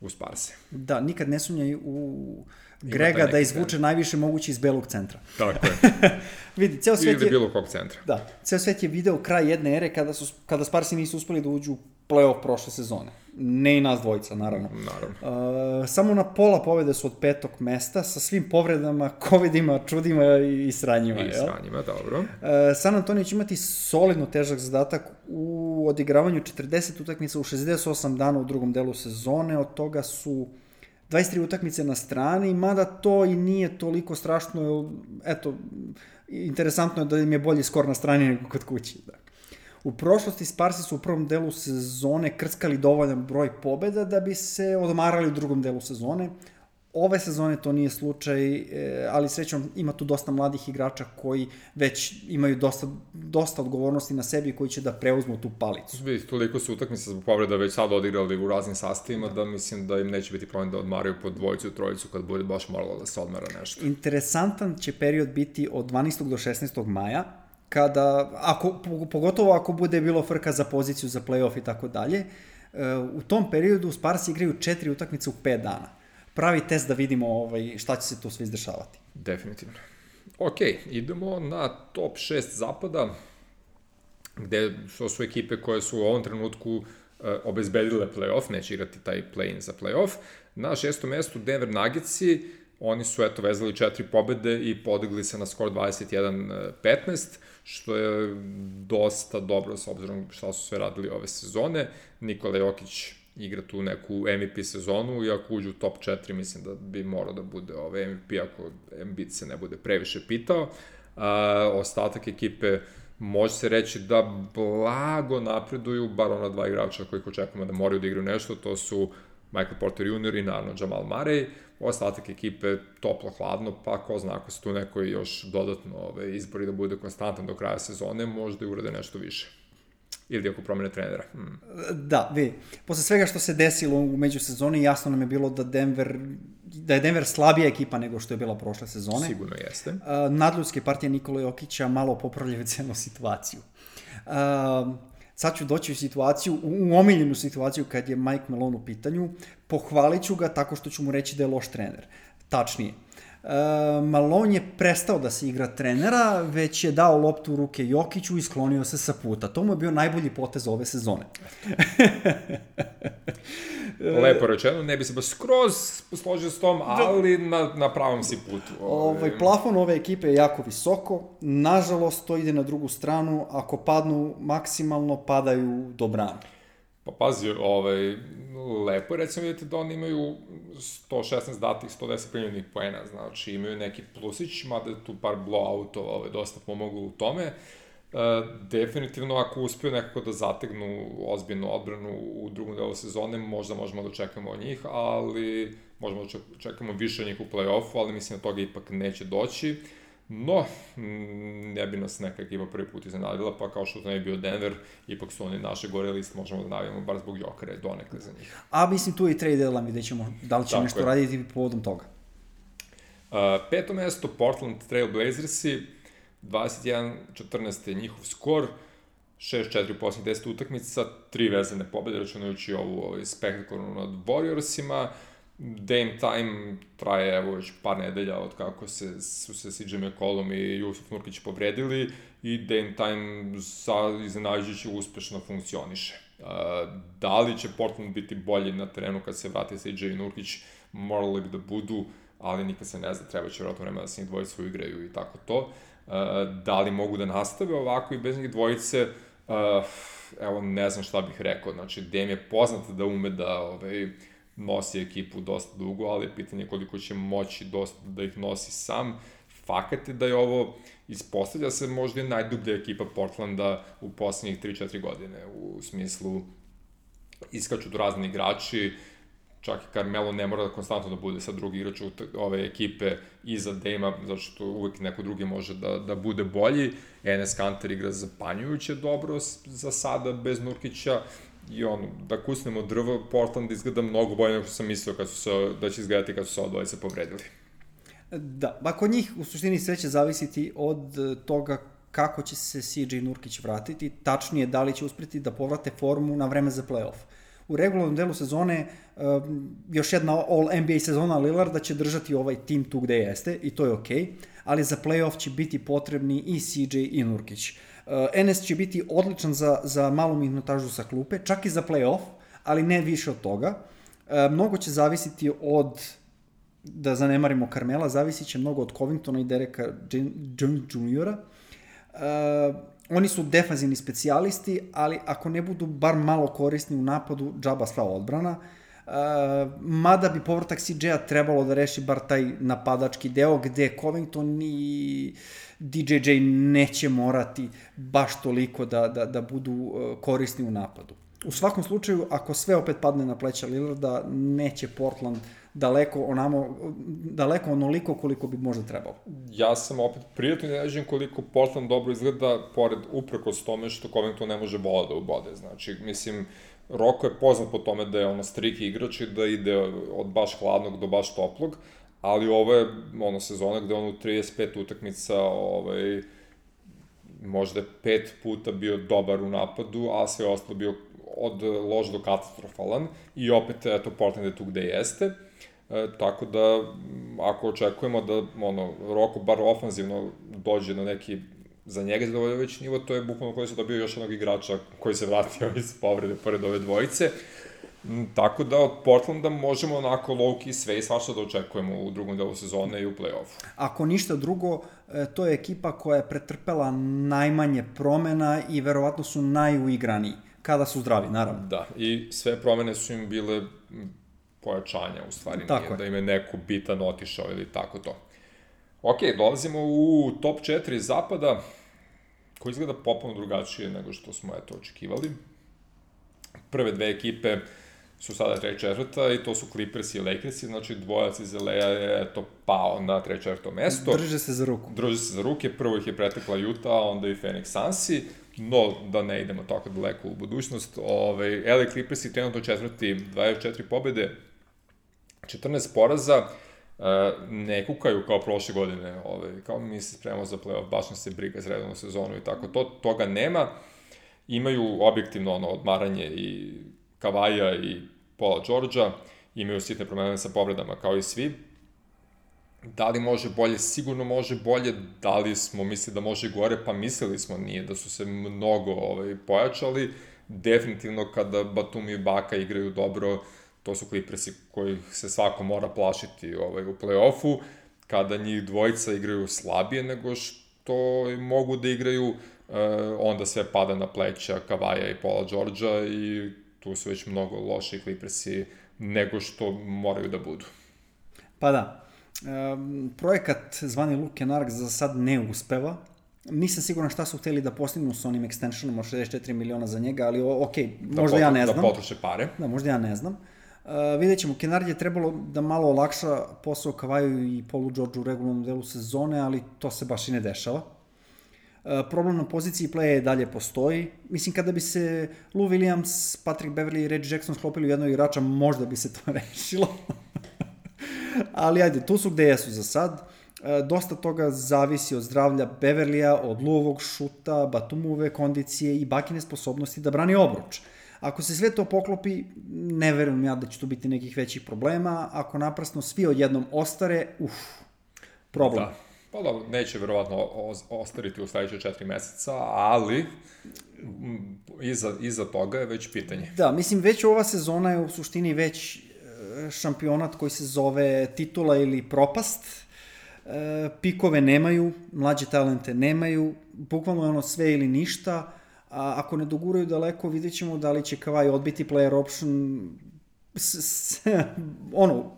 u Sparse. Da, nikad ne sumnjaj u Grega da izvuče trend. Najviše moguće iz belog centra. Tako je. Vidi, ceo svet je... bilo kog centra. Da, ceo svet je video kraj jedne ere kada, su, kada Sparsi nisu uspeli da uđu u play-off prošle sezone. Ne i nas dvojica, naravno. Naravno. Uh, samo na pola pobede su od petog mesta, sa svim povredama, covidima, čudima i sranjima. I sranjima, dobro. Uh, San Antonio će imati solidno težak zadatak u odigravanju četrdeset utakmica u šezdeset osam dana u drugom delu sezone, od toga su dvadeset tri utakmice na strani, mada to i nije toliko strašno, eto, interesantno je da im je bolji skor na strani nego kod kući. Da. U prošlosti Sparsi su u prvom delu sezone krckali dovoljan broj pobjeda da bi se odmarali u drugom delu sezone. Ove sezone to nije slučaj, ali srećom ima tu dosta mladih igrača koji već imaju dosta, dosta odgovornosti na sebi koji će da preuzmu tu palicu. Vidite, toliko su utakmice zbog povreda već sad odigrali u raznim sastavima da mislim da im neće biti problem da odmaraju po dvojicu, trojicu kad bude baš moralo da se odmara nešto. Interesantan će period biti od dvanaestog do šesnaestog maja, kada, ako, pogotovo ako bude bilo frka za poziciju za play-off i tako dalje. U tom periodu Sparsi igraju četiri utakmice u pet dana. Pravi test da vidimo ovaj, šta će se tu sve izdešavati. Definitivno. Ok, idemo na top šest zapada, gde što su ekipe koje su u ovom trenutku uh, obezbedile play-off, neće igrati taj play-in za play-off. Na šestom mestu Denver Nuggetsi, oni su eto vezali četiri pobede i podigli se na skor dvadeset jedan petnaest, što je dosta dobro s obzirom šta su sve radili ove sezone. Nikola Jokić igra tu neku M V P sezonu i ako uđu u top četiri mislim da bi morao da bude ovaj M V P ako Embiid se ne bude previše pitao. A, ostatak ekipe može se reći da blago napreduju, bar ona dva igrača kojih očekujemo da moraju da igraju nešto, to su Michael Porter junior i naravno Jamal Murray. Ostatak ekipe toplo-hladno, pa ko zna ako se tu neko još dodatno ove, izbori da bude konstantan do kraja sezone, možda i urade nešto više. Ili ako promene trenera. Hmm. Da, vidi, posle svega što se desilo u međusezoni, jasno nam je bilo da Denver, da je Denver slabija ekipa nego što je bila prošle sezone. Sigurno jeste. Uh, nadljudske partije Nikola Jokića malo popravljaju celu situaciju. Uh, sad ću doći u situaciju, u omiljenu situaciju kad je Mike Malone u pitanju, pohvalit ću ga tako što ću mu reći da je loš trener. Tačnije. Uh, Malone je prestao da se igra trenera, već je dao loptu u ruke Jokiću i sklonio se sa puta. To mu je bio najbolji potez ove sezone. Lepo rečeno, ne bi se baš skroz složio s tom, ali na, na pravom si putu. Ovaj, plafon ove ekipe je jako visoko, nažalost to ide na drugu stranu, ako padnu maksimalno, padaju do brana. Pa pazi, ovaj, lepo je recimo vidjeti da oni imaju sto šesnaest datih, sto deset primljenih poena, znači imaju neki plusić, mada je tu par blowoutova ovaj, dosta pomoglo u tome. E, definitivno ako uspiju nekako da zategnu ozbiljnu odbranu u drugom delu sezone, možda možemo da očekamo od njih, ali možemo da čekamo više od njih u play-offu, ali mislim da toga ipak neće doći. No, ne bi nas neka ekipa prvi put iznenadila, pa kao što to ne bi bio Denver, ipak su oni naše gore list, možemo da navijamo bar zbog Jokera i donekle za njih. A mislim tu i trade deadline, vidjet ćemo da li će Tako nešto je. raditi povodom toga. Uh, peto mesto, Portland Trail Blazersi, dvadeset jedan četrnaest je njihov skor, šest četiri u posljednjih deset utakmica, tri vezane pobjede, računajući ovu ovaj, spektakularnu nad Warriorsima. Dame time traje evo već par nedelja od kako se, su se C J McCollum i Jusuf Nurkić povredili i Dame time sa iznenađujući uspešno funkcioniše. Uh, da li će Portland biti bolji na terenu kad se vrati C J i Nurkić, morali bi da budu, ali nikad se ne zna, treba će vjerojatno vremena da se njih dvojice uigraju i tako to. Uh, da li mogu da nastave ovako i bez njih dvojice, uh, evo ne znam šta bih rekao, znači Dame je poznat da ume da ovaj, nosi ekipu dosta dugo, ali je pitanje koliko će moći dosta da ih nosi sam. Fakat je da je ovo, ispostavlja se možda i najdublja ekipa Portlanda u poslednjih tri četiri godine, u smislu iskaču tu razni igrači, čak i Carmelo ne mora da konstantno da bude sa drugi igrač ove ekipe iza Dame-a, zato što uvek neko drugi može da, da bude bolji. Enes Kanter igra zapanjujuće dobro za sada, bez Nurkića, i ono, da kusnemo drvo, Portland izgleda mnogo bolje nego što sam mislio kad su se, da će izgledati kad su se odvojice povredili. Da, ba kod njih u suštini sve će zavisiti od toga kako će se C J Nurkić vratiti, tačnije da li će uspjeti da povrate formu na vreme za play-off. U regularnom delu sezone um, još jedna All-N B A sezona Lillarda će držati ovaj tim tu gde jeste i to je okej, okay, ali za play-off će biti potrebni i C J i Nurkić. Uh, Enes će biti odličan za, za malu minutažu sa klupe, čak i za play-off, ali ne više od toga. Uh, mnogo će zavisiti od, da zanemarimo Carmela, zavisit će mnogo od Covingtona i Dereka juniora Uh, oni su defanzivni specijalisti, ali ako ne budu bar malo korisni u napadu, džaba sva odbrana. Uh, mada bi povratak C J-a trebalo da reši bar taj napadački deo, gde Covington i D J J neće morati baš toliko da, da, da budu uh, korisni u napadu. U svakom slučaju, ako sve opet padne na pleća Lillarda, neće Portland daleko onamo, daleko onoliko koliko bi možda trebalo. Ja sam opet prijatno iznenađen koliko Portland dobro izgleda, pored uprkos tome što Covington ne može bola da ubode. Znači, mislim, Roko je poznat po tome da je ono striki igrač i da ide od baš hladnog do baš toplog, ali ovo je ono sezona gde on u trideset pet utakmica ovaj, možda pet puta bio dobar u napadu, a sve ostalo bio od loš do katastrofalan i opet, eto, Portland je tu gde jeste. E, tako da, ako očekujemo da ono, Roko bar ofanzivno dođe na neki za njega zadovoljavajući nivo, to je bukvalno koji se dobio još jednog igrača koji se vratio iz povrede pored ove dvojice. Tako da od Portlanda možemo onako low-key sve i svašta da očekujemo u drugom delu sezone i u play-offu. Ako ništa drugo, to je ekipa koja je pretrpela najmanje promena i verovatno su najuigraniji, kada su zdravi, naravno. Da, i sve promene su im bile pojačanja, u stvari, tako nije, da im je neko bitan otišao ili tako to. Ok, dolazimo u top četiri zapada, koji izgleda popolno drugačije nego što smo eto očekivali. Prve dve ekipe su sada treća četvrta i to su Clippers i Lakers, znači dvojac iz L A je eto pao na treće četvrto mesto. Drže se za ruku. Drže se za ruke, prvo ih je pretekla Utah, a onda i Phoenix Sunsi, no da ne idemo tako daleko u budućnost. Ove, L A Clippers i trenutno četvrti, dvadeset četiri pobjede, četrnaest poraza, ne kukaju kao prošle godine, ovaj, kao mi se spremamo za play-off, baš nas se briga za redovnu sezonu i tako to, toga nema. Imaju objektivno ono odmaranje i Kavaja i Paula Georgea, imaju sitne promene sa povredama kao i svi. Da li može bolje? Sigurno može bolje. Da li smo mislili da može gore? Pa mislili smo, nije da su se mnogo ovaj, pojačali. Definitivno kada Batum i Baka igraju dobro, to su Clippersi kojih se svako mora plašiti ovaj, u play-offu, kada njih dvojica igraju slabije nego što mogu da igraju, eh, onda sve pada na pleća Kavaja i Paula Georgea i tu su već mnogo loši Clippersi nego što moraju da budu. Pa da, um, projekat zvani Luke Kennard za sad ne uspeva. Nisam siguran šta su hteli da postignu s onim extensionom od šezdeset četiri miliona za njega, ali ok, da možda potru, ja ne znam. Da potroše pare. Da, možda ja ne znam. Uh, vidjet ćemo, Kennard je trebalo da malo olakša posao Kavaju i Paulu Georgeu u regularnom delu sezone, ali to se baš i ne dešava. Uh, problem na poziciji playa dalje postoji. Mislim, kada bi se Lou Williams, Patrick Beverley i Reggie Jackson sklopili u jednog igrača, možda bi se to rešilo. Ali ajde, tu su gde jesu za sad. E, dosta toga zavisi od zdravlja Beverlija, od Luovog šuta, Batumove kondicije i Bakine sposobnosti da brani obruč. Ako se sve to poklopi, ne verujem ja da će tu biti nekih većih problema. Ako naprasno svi odjednom ostare, uf, problem. Da. Pa dobro, neće verovatno ostariti u sledeće četiri meseca, ali iza, iza toga je već pitanje. Da, mislim, već ova sezona je u suštini već šampionat koji se zove titula ili propast. E, pikove nemaju, mlađe talente nemaju, bukvalno je ono sve ili ništa, a ako ne doguraju daleko, vidjet ćemo da li će Kawhi odbiti player option, s, s, ono,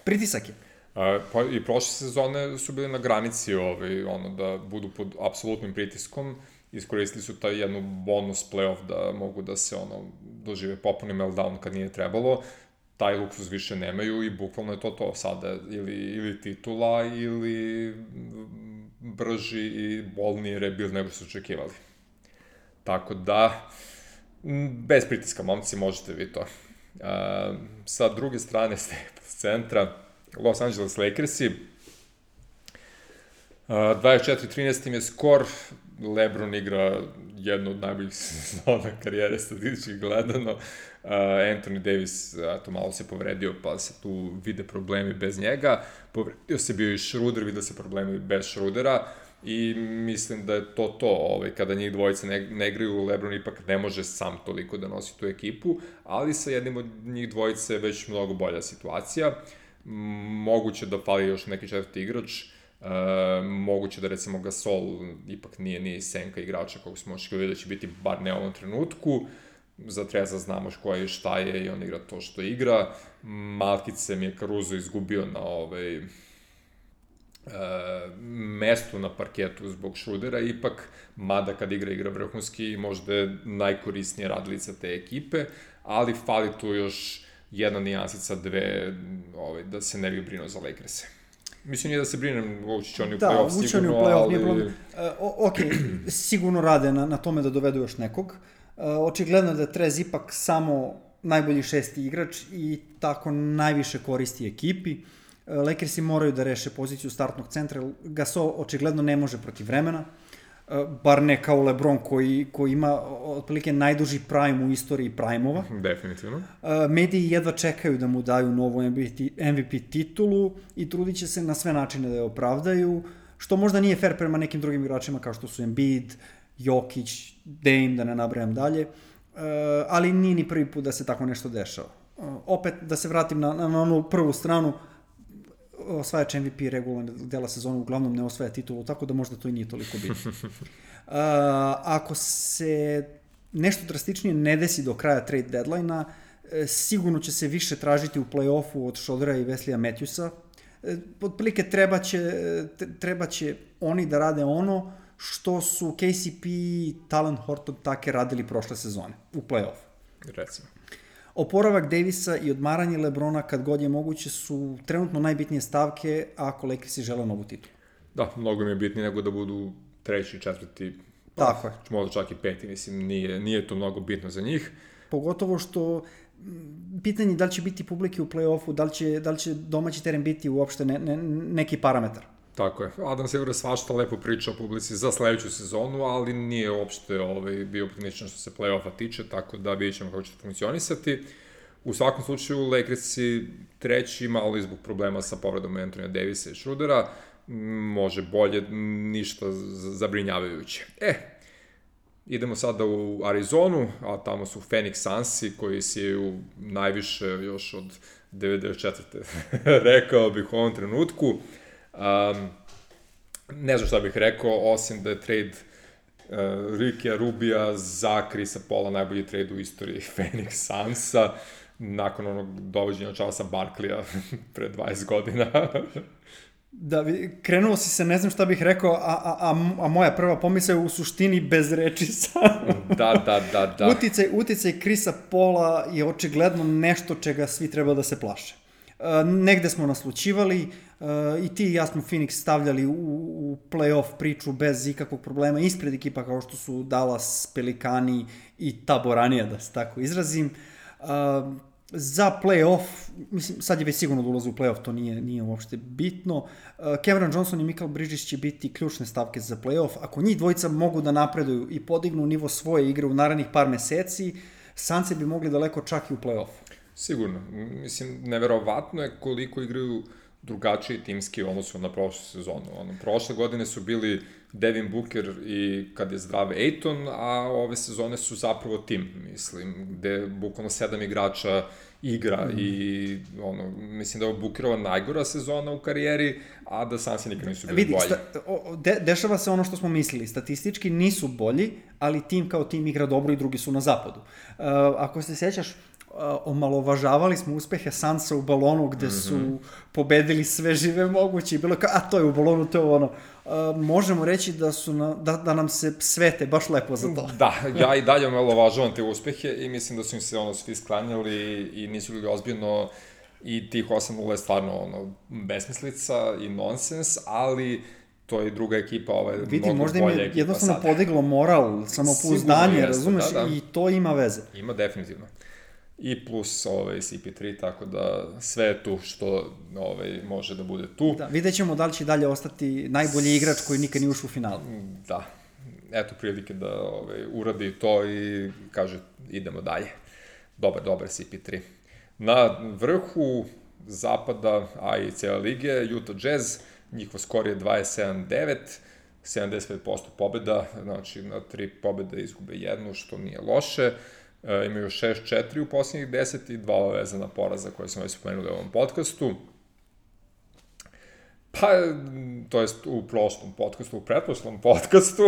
pritisak je. E, pa i prošle sezone su bili na granici ovaj, ono, da budu pod apsolutnim pritiskom, iskoristili su taj jednu bonus playoff da mogu da se ono, dožive popuni meltdown kad nije trebalo. Taj luksuz više nemaju i bukvalno je to to sada, ili, ili titula, ili brži i bolniji rebuild nego su očekivali. Tako da, bez pritiska, momci, možete vi to. Uh, sa druge strane, s centra, Los Angeles Lakersi, uh, dvadeset četiri trinaest im je skor, LeBron igra jednu od najboljih sezona karijere statistički gledano. Uh, Anthony Davis, eto, malo se povredio, pa se tu vide problemi bez njega. Povredio se bio i Schroeder, vide se problemi bez Schroedera i mislim da je to to, ovaj, kada njih dvojice ne, ne igraju, LeBron ipak ne može sam toliko da nosi tu ekipu, ali sa jednim od njih dvojice je već mnogo bolja situacija. Moguće da fali još neki četvrti igrač, Uh, moguće da recimo Gasol ipak nije ni senka igrača kako smo očekivali da će biti bar ne u ovom trenutku. Za Treza znamo ko je i šta je i on igra to što igra. Malkice mi je Caruso izgubio na ovaj, uh, mestu na parketu zbog Schroedera ipak, mada kad igra igra vrhunski i možda je najkorisnija radilica te ekipe, ali fali tu još jedna nijansica, dve, ovaj, da se ne bi brinuo za Lakers-e. Mislim nije da se brinem, ući će oni u da, play-off sigurno, sigurno, play-off ali... Nije problem. Uh, ok, sigurno rade na, na tome da dovedu još nekog. Uh, očigledno je da je Trez ipak samo najbolji šesti igrač i tako najviše koristi ekipi. Uh, Lakersi moraju da reše poziciju startnog centra. Gasol očigledno ne može protiv vremena. Uh, bar ne kao LeBron koji, koji ima otprilike najduži prime u istoriji prime-ova. Definitivno. Uh, mediji jedva čekaju da mu daju novu M V P titulu i trudit će se na sve načine da je opravdaju, što možda nije fair prema nekim drugim igračima kao što su Embiid, Jokić, Dame, da ne nabrajam dalje, uh, ali nije ni prvi put da se tako nešto dešava. Uh, opet, da se vratim na, na onu prvu stranu, osvajač M V P regularnog dela sezona uglavnom ne osvaja titulu, tako da možda to i nije toliko bitno. Uh, ako se nešto drastičnije ne desi do kraja trade deadline-a, sigurno će se više tražiti u play-offu od Schroedera i Wesleya Matthewsa. Otprilike treba će, treba će oni da rade ono što su K C P, Talen Horton Tucker radili prošle sezone u play-offu. Recimo. Oporavak Davisa i odmaranje LeBrona kad god je moguće su trenutno najbitnije stavke ako Lakersi žele novu titulu. Da, mnogo mi je bitnije nego da budu treći, četvrti, pa, tako je. Možda čak i peti, mislim, nije, nije to mnogo bitno za njih. Pogotovo što pitanje da li će biti publike u play-offu, da li će, da li će domaći teren biti uopšte ne, ne, neki parametar. Tako je. Adam Silver svašta lepo priča o publici za sledeću sezonu, ali nije uopšte ovaj, bio optimističan što se play-offa tiče, tako da vidjet ćemo kako će to funkcionisati. U svakom slučaju, Lakersi treći, malo izbog problema sa povredom Anthony Davisa i Schroedera, može bolje, ništa zabrinjavajuće. E, idemo sada u Arizonu, a tamo su Phoenix Sunsi, koji siju najviše još od devedeset četvrte rekao bih u ovom trenutku. Um, ne znam šta bih rekao, osim da je trade uh, Rikija Rubija za Chrisa Paula, najbolji trade u istoriji Phoenix Sunsa, nakon onog dovođenja Charlesa Barkleya pre dvadeset godina. Da, krenuo si se, ne znam šta bih rekao, a, a, a, a moja prva pomisla je u suštini bez reči samo. Da, da, da, da. Uticaj, uticaj Chrisa Paula je očigledno nešto čega svi treba da se plaše. Uh, negde smo naslučivali, uh, i ti i ja smo Phoenix stavljali u, u play-off priču bez ikakvog problema, ispred ekipa kao što su Dallas, Pelikani i Taboranija, da se tako izrazim. Uh, za play-off, mislim, sad je već sigurno da ulaze u play-off, to nije, nije uopšte bitno. Uh, Cameron Johnson i Mikal Bridges će biti ključne stavke za play-off. Ako njih dvojica mogu da napreduju i podignu nivo svoje igre u narednih par meseci, Sunsi bi mogli daleko čak i u play-off. Sigurno. Mislim, neverovatno je koliko igraju drugačiji timski odnosu na prošlu sezonu. Ono, prošle godine su bili Devin Booker i kad je zdrav Ayton, a ove sezone su zapravo tim, mislim, gde bukvalno sedam igrača igra mm. i ono, mislim da je Bookerova najgora sezona u karijeri, a da Sunsi nikad nisu bili Vidi, bolji. Sta, o, de, dešava se ono što smo mislili, statistički nisu bolji, ali tim kao tim igra dobro i drugi su na zapadu. Uh, ako se sjećaš, omalovažavali smo uspehe Sunsa u balonu gde su mm-hmm. pobedili sve žive moguće i bilo kao, a to je u balonu, to je ono. Uh, možemo reći da su na, da, da nam se svete baš lepo za to. Da, ja i dalje omalovažavam te uspehe i mislim da su im se ono svi sklanjali i nisu bili ozbiljno i tih osam nula je stvarno ono besmislica i nonsens, ali to je druga ekipa, ovaj Vidi, mnogo možda bolja im je ekipa jednostavno sad. Podiglo moral, samopouzdanje, razumeš, da, da. I to ima veze. Ima definitivno. I plus ovaj, C P tri, tako da sve je tu što ovaj, može da bude tu. Da, vidjet ćemo da li će dalje ostati najbolji igrač koji nikad nije ušao u finalu. Da, eto prilike da ovaj, uradi to i kaže idemo dalje. Dobar, dobar C P tri. Na vrhu zapada, a i cijela lige, Utah Jazz, njihov skor je dvadeset sedam devet, sedamdeset pet posto pobjeda, znači na tri pobjede izgube jednu, što nije loše. E, imaju šest četiri u posljednjih deset i dva vezana poraza koje smo već spomenuli u ovom podcastu. Pa, to jest u prošlom podcastu, u pretprošlom podcastu.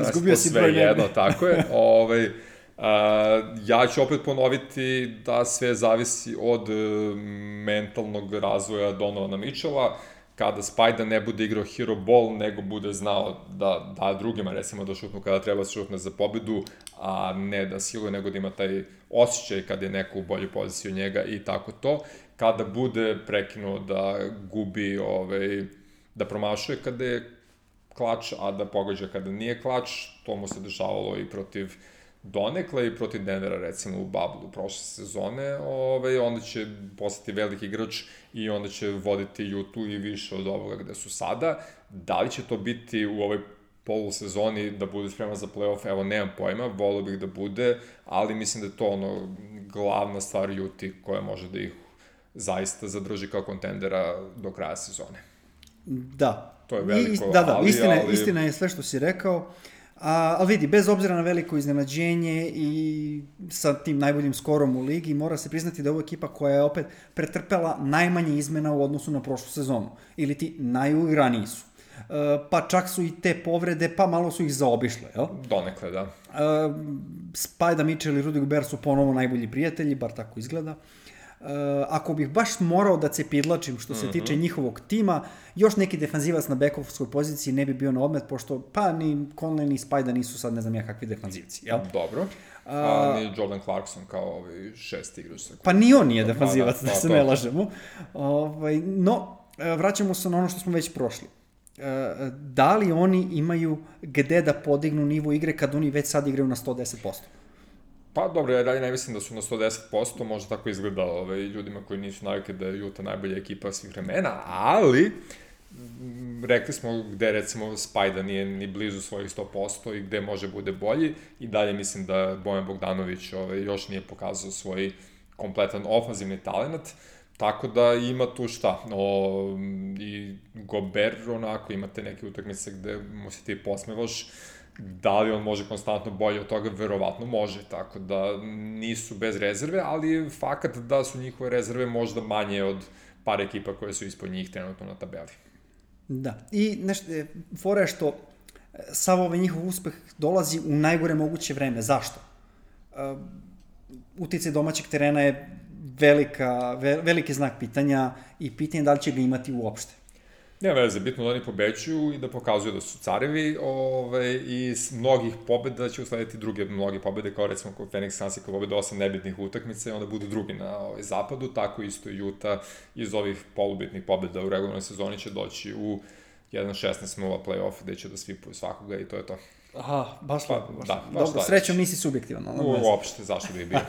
Izgubio si broj jedno, tako je. Ovaj, a, ja ću opet ponoviti da sve zavisi od mentalnog razvoja Donovana Mitchella. Kada Spajda ne bude igrao hero ball, nego bude znao da da drugima, recimo, da šutnu kada treba da šutne za pobedu, a ne da siluje, nego da ima taj osjećaj kada je neko u boljoj poziciji od njega i tako to. Kada bude prekinuo da gubi, ovaj, da promašuje kada je klač, a da pogađa kada nije klač, to mu se dešavalo i protiv donekle i protiv Denvera, recimo, u Bablu prošle sezone, ovaj, onda će postati veliki igrač i onda će voditi Utah i više od ovoga gde su sada. Da li će to biti u ovoj polusezoni da bude spreman za play-off, evo, nemam pojma, volio bih da bude, ali mislim da je to ono glavna stvar Utah koja može da ih zaista zadrži kao kontendera do kraja sezone. Da. To je veliko, I, da, da, ali, istina, ali... istina je sve što si rekao. A, ali vidi, bez obzira na veliko iznenađenje i sa tim najboljim skorom u ligi, mora se priznati da je ovo ekipa koja je opet pretrpela najmanje izmena u odnosu na prošlu sezonu. Ili ti najuigraniji su. E, pa čak su i te povrede, pa malo su ih zaobišle, jel? Donekle, da. E, Spajda Mitchell i Rudy Gobert su ponovo najbolji prijatelji, bar tako izgleda. Uh, ako bih baš morao da cepidlačim što se mm-hmm. tiče njihovog tima, još neki defanzivac na bekovskoj poziciji ne bi bio na odmet, pošto pa ni Conley ni Spajda nisu sad ne znam ja kakvi defanzivci, jel? Dobro. Uh, A ni Jordan Clarkson kao ovaj šest igrač. Pa ni on nije defanzivac, da, da, da se to. Ne lažemo. Ovaj, no, vraćamo se na ono što smo već prošli. Uh, da li oni imaju gde da podignu nivo igre kad oni već sad igraju na sto deset posto? Pa dobro, ja dalje ne mislim da su na sto deset posto, možda tako izgleda ovaj, ljudima koji nisu navikli da je Utah najbolja ekipa svih vremena, ali rekli smo gde recimo Spajda nije ni blizu svojih sto posto i gde može bude bolji i dalje mislim da Bojan Bogdanović ovaj, još nije pokazao svoj kompletan ofanzivni talent, tako da ima tu šta, o, i Gobert onako, imate neke utakmice gde mu se ti posmevaš, da li on može konstantno bolje od toga, verovatno može, tako da nisu bez rezerve, ali fakat da su njihove rezerve možda manje od par ekipa koje su ispod njih trenutno na tabeli. Da, i nešto, fora je što sav ovaj njihov uspeh dolazi u najgore moguće vreme. Zašto? Uh, uticaj domaćeg terena je velika, ve, veliki znak pitanja i pitanje da li će ga imati uopšte. Nema veze, bitno da oni pobeđuju i da pokazuju da su carevi, ove, i s mnogih pobjeda će uslediti druge mnoge pobjede, kao recimo kod Phoenix Suns koji pobjede osam nebitnih utakmica i onda budu drugi na ovaj, zapadu, tako isto i Utah iz ovih polubitnih pobjeda u regularnoj sezoni će doći u jedan šesnaest nula play-off gde će da svipuju svakoga i to je to. Aha, baš lepo. Baš. Da, baš dobro, srećom nisi subjektivan. Uopšte, zašto bi bio?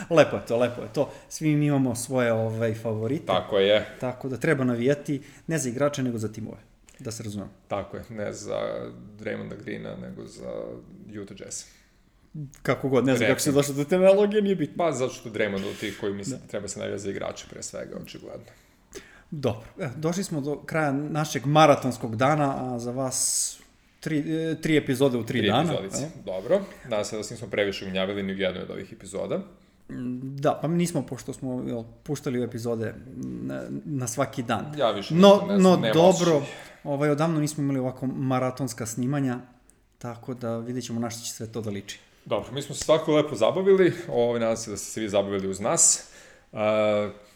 Lepo je to, lepo je to. Svi mi imamo svoje ovaj, favorite. Tako je. Tako da treba navijati, ne za igrače, nego za timove. Da se razumem. Tako je, ne za Draymonda Greena, nego za Utah Jazz. Kako god, ne znam kako se došlo do te analogije, nije bitno. Pa zato što Draymond od tih koji misle da treba se navijati za igrače pre svega, očigledno. Dobro, e, došli smo do kraja našeg maratonskog dana, a za vas tri, tri epizode u tri, tri dana. Tri epizodice, dobro. Nadam se da se nismo previše ugnjavili ni u jednoj od ovih epizoda. Da, pa mi nismo, pošto smo jel, puštali epizode na, na svaki dan. Ja više no, ne no znam, dobro, ovaj, odavno nismo imali ovako maratonska snimanja, tako da vidjet ćemo na što će sve to da liči. Dobro, mi smo se svako lepo zabavili, ovaj, nadam se da ste se vi zabavili uz nas. Uh,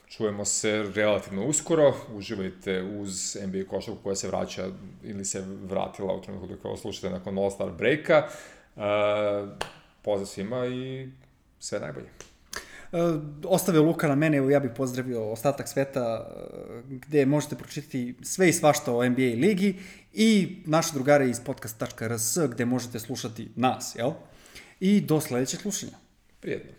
čujemo se relativno uskoro, uživajte uz N B A košarku koja se vraća ili se vratila u trenutku dok ovo slušate nakon All-Star breaka. Uh, pozdrav svima i sve najbolje. Uh, ostavio Luka na mene, evo ja bih pozdravio ostatak sveta uh, gde možete pročitati sve i svašta o N B A ligi i naše drugare iz podcast tačka r s gde možete slušati nas, jel? I do sledećeg slušanja. Prijetno.